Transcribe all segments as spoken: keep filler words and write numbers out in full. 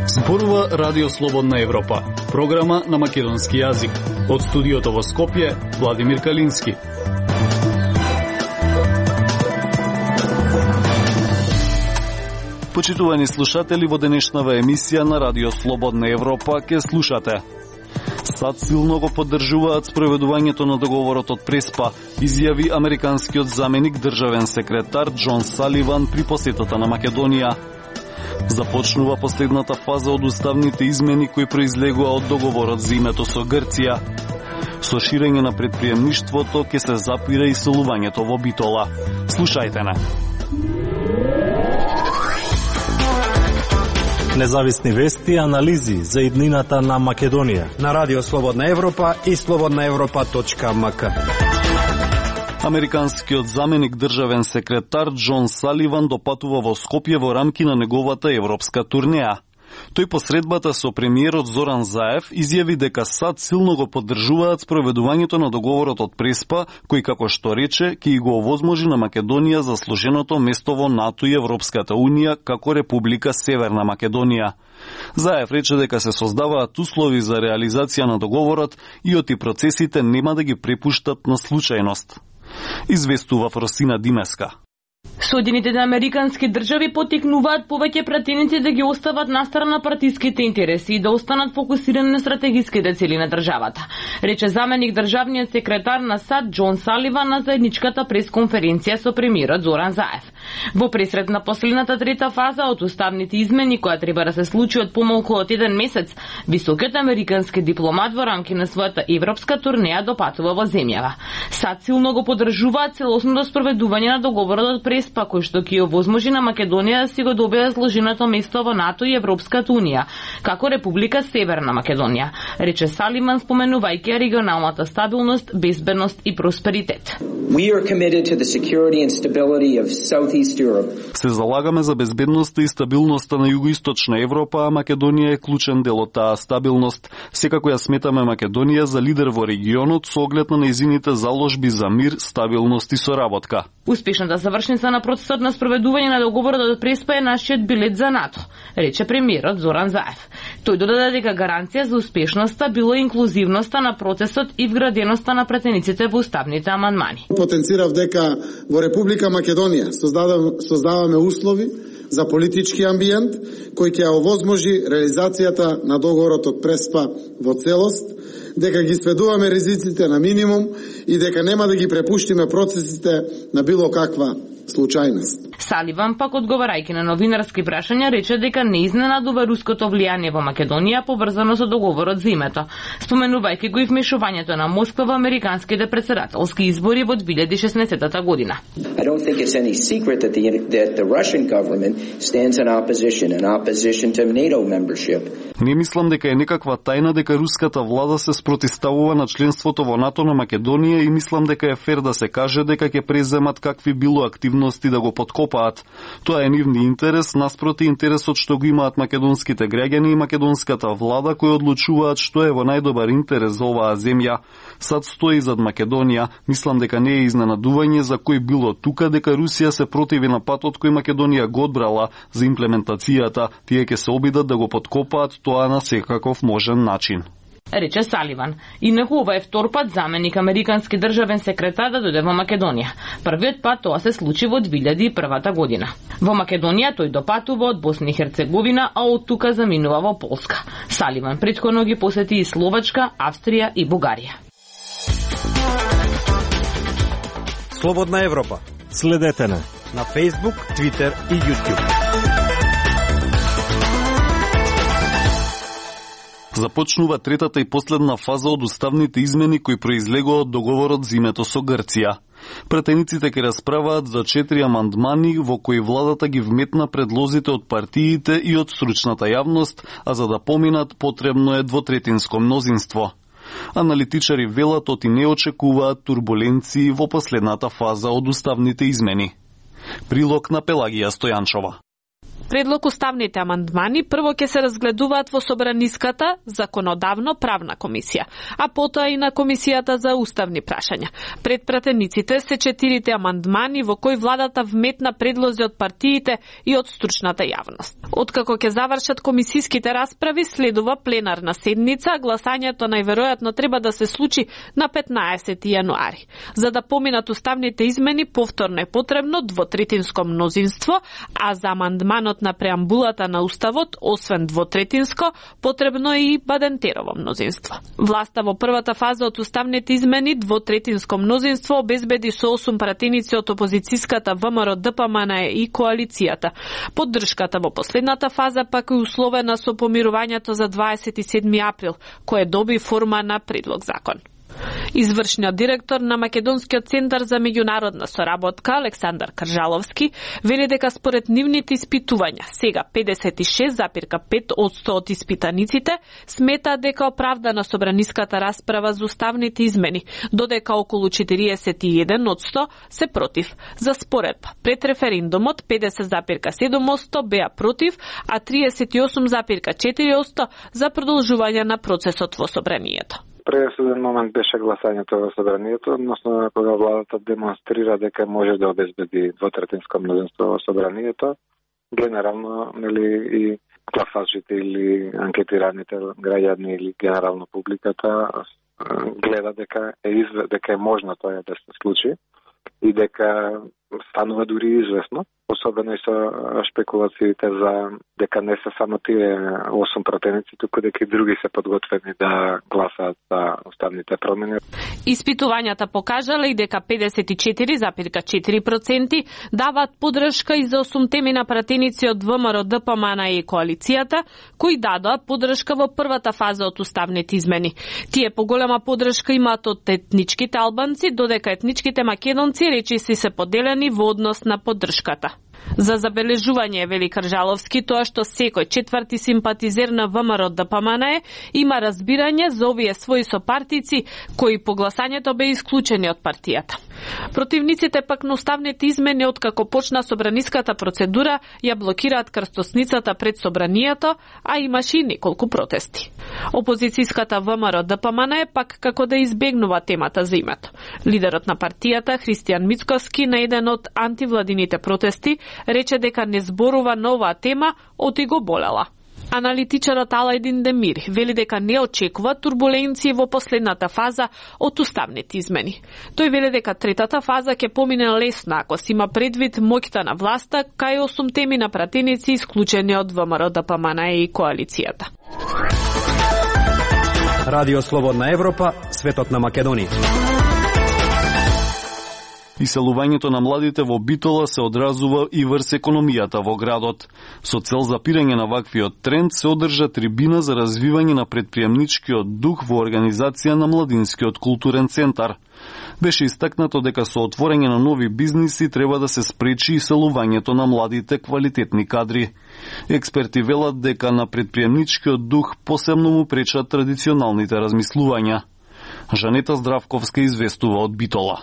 Зборува Радио Слободна Европа, програма на македонски јазик. Од студиото во Скопје, Владимир Калински. Почитувани слушатели, во денешнава емисија на Радио Слободна Европа ке слушате: САД силно го поддржуваат спроведувањето на договорот од Преспа, изјави американскиот заменик државен секретар Џон Саливан при посетата на Македонија. Започнува последната фаза од уставните измени кои произлегува од договорот за името со Грција. Со ширење на предприемништвото ќе се запира иселувањето во Битола. Слушајте на. Независни вести и анализи за иднината на Македонија на Радио Слободна Европа и слободна европа точка ем ка. Американскиот заменик државен секретар Џон Саливан допатува во Скопје во рамки на неговата европска турнеја. Тој по средбата со премиерот Зоран Заев изјави дека САД силно го поддржуваат спроведувањето на договорот од Преспа, кој, како што рече, ќе го овозможи на Македонија заслуженото место во НАТО и Европската Унија како Република Северна Македонија. Заев рече дека се создаваат услови за реализација на договорот и оти процесите нема да ги препуштат на случајност. Известува Фросина Димеска. Соединетите американски држави потикнуваат повеќе пратеници да ги остават настрана партиските интереси и да останат фокусирани на стратегиските цели на државата, рече заменик државниот секретар на САД Џон Саливан на заедничката пресконференција со премиерот Зоран Заев. Во пресред на последната трета фаза од уставните измени, која треба да се случи од помалку од еден месец, високиот американски дипломат во рамки на својата европска турнеја допатува во земјава. САД силно го поддржуваат целосното спроведување на договорот од Преспа, кој што ќе овозможи на Македонија да си го добие заслуженото место во НАТО и Европската Унија, како Република Северна Македонија, рече Салиман споменувајќи регионалната стабилност, безбедност и просперитет. We are committed to the security and stability of Southeast Europe. Се залагаме за безбедноста и стабилноста на југоисточна Европа, а Македонија е клучен дел од таа стабилност. Секако ја сметаме Македонија за лидер во регионот со оглед на нејзините заложби за мир, стабилност и соработка. Успешната завршница на процесот на спроведување на договорот од Преспа е нашиот билет за НАТО, рече премиерот Зоран Заев. Тој додаде дека гаранција за успешноста било инклузивноста на процесот и вграденоста на пратениците во уставните амандмани. Потенцирав дека во Република Македонија создаваме услови за политички амбиент кој ќе овозможи реализацијата на договорот од Преспа во целост, дека ги сведуваме ризиците на минимум и дека нема да ги препуштиме процесите на било каква случајност. Саливан пак одговарајќи на новинарски прашања рече дека не изненадува руското влијание во Македонија поврзано со договорот за името, споменувајќи го и вмешувањето на Москва во американските председателски избори во две илјади и шеснаесетта година. I don't think it's any secret that the that the Russian government stands in opposition in opposition to NATO membership. Не мислам дека е некаква тајна дека руската влада се спротивставува на членството во НАТО на Македонија и мислам дека е фер да се каже дека ќе преземат какви било активности да го подкопаат. Тоа е нивни интерес, наспроти интересот што го имаат македонските граѓани и македонската влада кои одлучуваат што е во најдобар интерес за оваа земја. САД стои зад Македонија. Мислам дека не е изненадување за кој било тука дека Русија се противи на патот кој Македонија го одбрала за имплементацијата. Тие ќе се обидат да го подкопаат тоа на секаков можен начин, рече Саливан. Инаку ова е втор пат заменик американски државен секретар да дојде во Македонија. Првиот пат тоа се случи во две илјади и прва година. Во Македонија тој допатува од Босна и Херцеговина, а од тука заминува во Полска. Саливан претходно ги посети и Словачка, Австрија и Бугарија. Слободна Европа. Следете на на Facebook, Twitter и YouTube. Започнува третата и последна фаза од уставните измени кои произлегува од договорот за името со Грција. Пратениците ќе расправаат за четири амандмани во кои владата ги вметна предлозите од партиите и од стручната јавност, а за да поминат потребно е двотретинско мнозинство. Аналитичари велат оти не очекуваат турбуленции во последната фаза од уставните измени. Прилог на Пелагија Стојанчова. предлог уставните амандмани прво ќе се разгледуваат во Собраниската законодавно-правна комисија, а потоа и на комисијата за уставни прашања. Пред пратениците се четирите амандмани во кои владата вметна предлози од партиите и од стручната јавност. Откако ќе завршат комисиските расправи, следува пленарна седница, гласањето најверојатно треба да се случи на петнаесети јануари. За да поминат уставните измени, повторно е потребно двотретинско мнозинство, а за амандманот на преамбулата на Уставот, освен двотретинско, потребно е и Бадентерово мнозинство. Власта во првата фаза од уставните измени, двотретинско мнозинство, обезбеди со осум пратеници од опозицијската ВМРО Д П М Н Е и коалицијата. Поддршката во последната фаза пак е условена со помирувањето за дваесет и седми април, кое доби форма на предлог закон. Извршниот директор на Македонскиот центар за меѓународна соработка Александар Кржаловски вели дека според нивните испитувања сега педесет и шест запирка пет одсто од испитаниците смета дека оправдана собраниската расправа за уставните измени, додека околу четириесет и еден одсто се против. За споредба, пред референдумот педесет запирка седум одсто беа против, а триесет и осум запирка четири одсто за продолжување на процесот во собранието. Пресуден момент беше гласањето во собранието, односно кога владата демонстрира дека може да обезбеди двотретинско мнозинство во собранието, генерално, нели, и гласачите или анкетираните граѓани или генерално публиката гледа дека е изв... дека е можно тоа да се случи и дека станува дури известно, особено и со шпекулациите за дека не се само тие осум пратеници, туку дека и други се подготвени да гласаат за уставните промени. Испитувањата покажале и дека педесет и четири запирка четири проценти даваат поддршка и за осумте пратеници од ВМРО Д П М Н Е и коалицијата, кои дадоа поддршка во првата фаза од уставните измени. Тие поголема поддршка имаат од етничките албанци, додека етничките македонци речиси се поделени во однос на поддршката. За забележување, вели Кржаловски, тоа што секој четврти симпатизер на ВМРО Д П М Н Е има разбирање за овие своји сопартици кои по гласањето беа исклучени од партијата. Противниците пак на уставните измени откако почна собраниската процедура ја блокираат крстосницата пред собранието, а имаше и неколку протести. Опозицијската ВМРО Д П М Н Е пак како да избегнува темата за името. Лидерот на партијата Христијан Мицковски на еден од антивладините протести рече дека не зборува на оваа тема, оти го болела. Аналитичарот Алајдин Демир вели дека не очекува турбуленции во последната фаза од уставните измени. Тој вели дека третата фаза ќе помине лесно ако се има предвид моќта на власта кај осумте на пратеници исклучени од ВМРО Д П М Н Е и коалицијата. Радио Слободна Европа, светот на Македонија. Иселувањето на младите во Битола се одразува и врз економијата во градот. Со цел запирање на ваквиот тренд се одржа трибина за развивање на предприемничкиот дух во организација на Младинскиот културен центар. Беше истакнато дека со отворање на нови бизниси треба да се спречи иселувањето на младите квалитетни кадри. Експерти велат дека на предприемничкиот дух посебно му пречат традиционалните размислувања. Жанета Здравковска известува од Битола.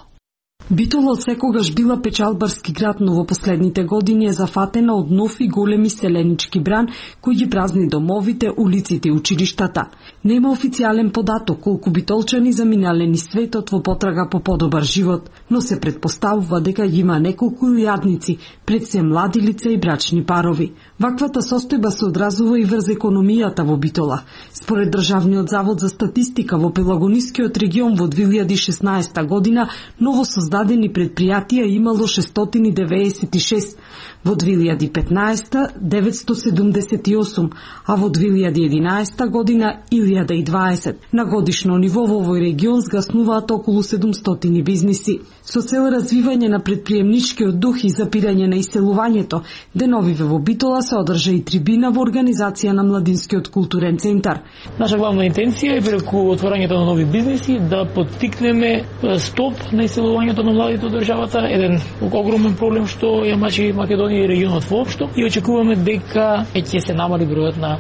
Битола од секогаш била печалбарски град, но во последните години е зафатена од нов и големи селенички бран кои ги празни домовите, улиците и училиштата. Нема официјален податок колку битолчани заминале низ светот во потрага по подобар живот, но се предпоставува дека ги има неколку илјадници, пред се млади лица и брачни парови. Ваквата состојба се одразува и врз економијата во Битола. Според Државниот завод за статистика во Пелагонискиот регион во две илјади и шеснаесета година ново создадени предпријатија имало шестстотини девеесет и шест, во две илјади и петнаесета деветстотини седумдесет и осум, а во две илјади и единаесета година илјада и дваесет. На годишно ниво во овој регион згаснуваат околу седумстотини бизниси. Со цел развивање на предприемничкиот дух и запирање на иселувањето, деновиве во Битола се одржа и трибина во организација на Младинскиот културен центар. Наша главна интенција е преку отворањето на нови бизниси да поттикнеме стоп на иселувањето на младите од државата, еден огромен проблем што ја мачи Македонија и регионот воопшто, и очекуваме дека ќе се намали бројот на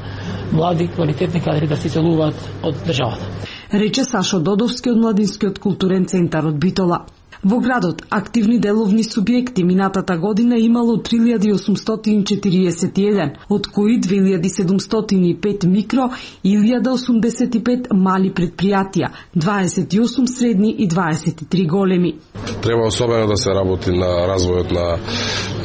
млади квалитетни кадри да се иселуваат од државата. Рече Сашо Додовски од Младинскиот културен центар од Битола. Во градот, активни деловни субјекти минатата година имало три илјади осумстотини четириесет и еден, од кои две илјади седумстотини и пет микро и илјада осумдесет и пет мали предпријатија, дваесет и осум средни и дваесет и три големи. Треба особено да се работи на развојот на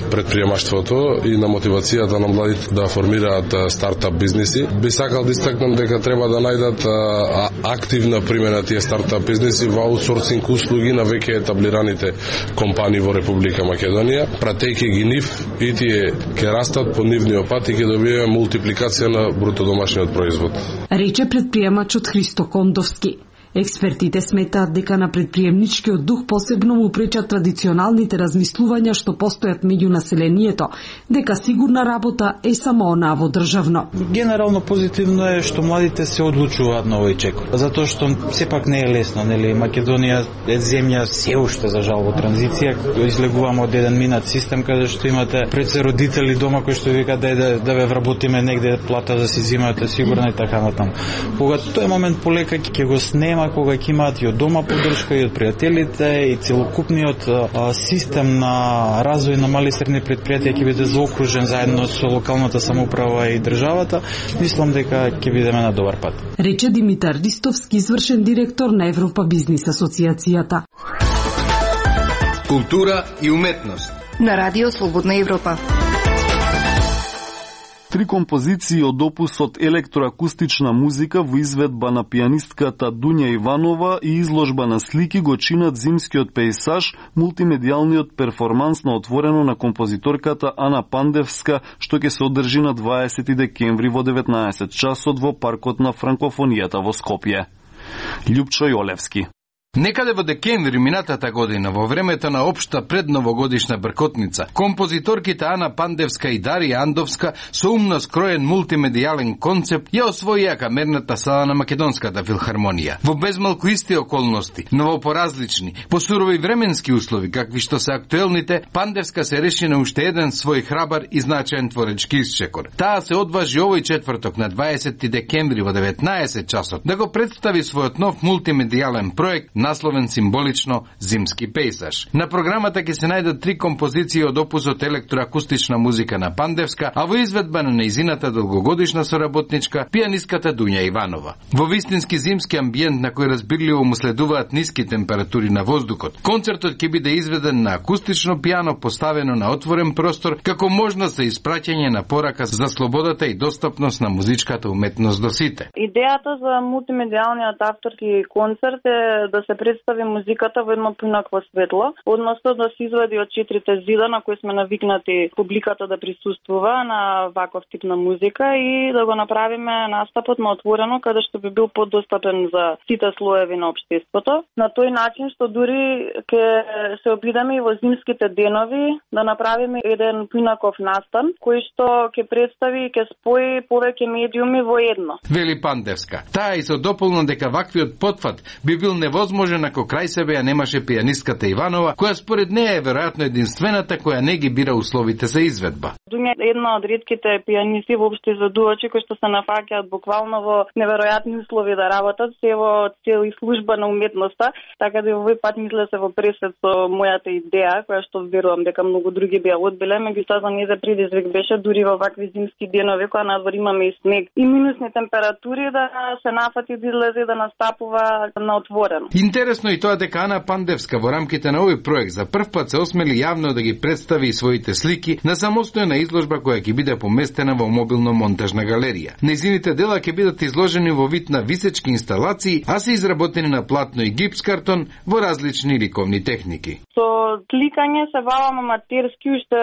предприемаштвото и на мотивацијата на младите да формираат стартап бизниси. Би сакал да истакнам дека треба да најдат а, активна примена тие стартап бизниси во аутсорсинг услуги на веќе етаблираните компании во Република Македонија. Пратејќи ги нив, и тие ќе растат по нивниот пат и ќе добиеме мултипликација на бруто домашниот производ. Рече предприемачот Христо Кондовски. Експертите сметаат дека на предприемничкиот дух посебно му пречат традиционалните размислувања што постојат меѓу населението, дека сигурна работа е само онаа во државно. Генерално позитивно е што младите се одлучуваат на овој чекор, затоа што сепак не е лесно, нели? Македонија е земја се уште за жал во транзиција, излегуваме од еден минат систем каде што имате пред се родители дома кои што викаат да да, да ве вработиме негде плата да си зимате сигурна и така натаму. Кога тој момент полека ќе го снема, кога ќе имаат и од дома поддршка и од пријателите и целокупниот а, систем на развој на мали и средни предпријатија ќе биде заокружен заедно со локалната самоуправа и државата, мислам дека ќе бидеме на добар пат. Рече Димитар Ристовски, извршен директор на Европа Бизнис асоциацијата. Култура и уметност на Радио Слободна Европа. Три композиции од опусот електроакустична музика во изведба на пијанистката Дуња Иванова и изложба на слики го чинат зимскиот пејсаж, мултимедијалниот перформанс на отворено на композиторката Ана Пандевска, што ќе се одржи на дваесети декември во деветнаесет часот во паркот на франкофонијата во Скопје. Љупчо Јолевски. Некаде во декември минатата година, во времето на општа предновогодишна бркотница, композиторките Ана Пандевска и Дарија Андовска со умно скроен мултимедијален концепт ја освоија камерната сала на Македонската филхармонија. Во безмалку исти околности, но во поразлични, по сурови временски услови, какви што се актуелните, Пандевска се реши на уште еден свој храбар и значаен творечки исчекор. Таа се одважи овој четврток на дваесети декември во деветнаесет часот да го представи својот нов мултимедијален проект насловен символично Зимски пејсаж. На програмата ќе се најдат три композиции од опусот електроакустична музика на Пандевска, а во изведба на нејзината долгогодишна соработничка, пијаниската Дуња Иванова. Во вистински зимски амбиент на кој разбирливо му следуваат ниски температури на воздухот, концертот ќе биде изведен на акустично пијано поставено на отворен простор, како можност за испраќање на порака за слободата и достапност на музичката уметност до сите. Идејата за мултимедијалниот авторски концерт е да се представи музиката во едно поинакво светло, односно да се извади од четирите зида на кои сме навикнати публиката да присуствува на ваков тип на музика и да го направиме настапот на отворено, каде што би бил подостапен за сите слоеви на општеството. На тој начин што дури ќе се обидеме и во зимските денови да направиме еден поинаков настан, кој што ќе представи и ќе спои повеќе медиуми во едно. Вели Пандевска. Таа и се дополна дека ваквиот потфат би бил невозможен ако крај себе ја немаше пијанистката Иванова, која според неја е веројатно единствената која не ги бира условите за изведба. Дуња е една од ретките пијанисти воопшто изведувачи кои што се нафаќаат буквално во неверојатни услови да работат, се во цел и служба на уметноста, така да овој пат мисле се во пресет со мојата идеја, која што верувам дека многу други би ја одбиле, меѓутоа за нејзе предизвик беше дури во вакви зимски денови кога надвор имаме и снег и минусни температури да се нафати да излезе да настапува на отворено. Интересно и тоа дека Ана Пандевска во рамките на овој проект за прв пат се осмели јавно да ги представи и своите слики на самостојна изложба која ќе биде поместена во мобилно-монтажна галерија. Нејзините дела ќе бидат изложени во вид на висечки инсталации, а се изработени на платно и гипс картон во различни ликовни техники. Со сликање се бавам аматерски уште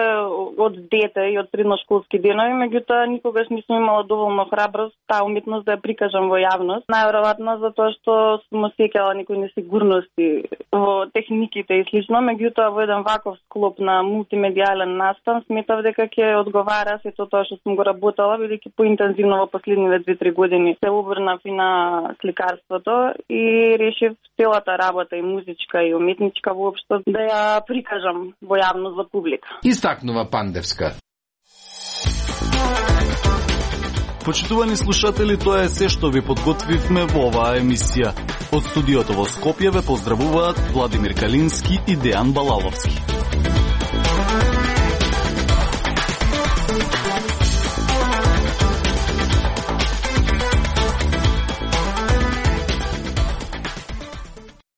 од дете и од средношколски денови, меѓутоа никогаш не сум имала доволно храброст таа уметност да ја прикажам во јавност. Најверојатно затоа што сум осеќала некои несигурности во техниките и слично, меѓутоа во еден ваков склоп на мултимедијален настан сметав дека ќе одговара сето тоа што сум го работела, бидејќи поинтензивно во последниве две-три години се обрнав и на сликарството и решив целата работа и музичка и уметничка воопшто да ја прикажам во јавност за публика. Истакнува Пандевска. Почитувани слушатели, тоа е се што ви подготвивме во оваа емисија. Од студиото во Скопје ве поздравуваат Владимир Калински и Дејан Балаловски.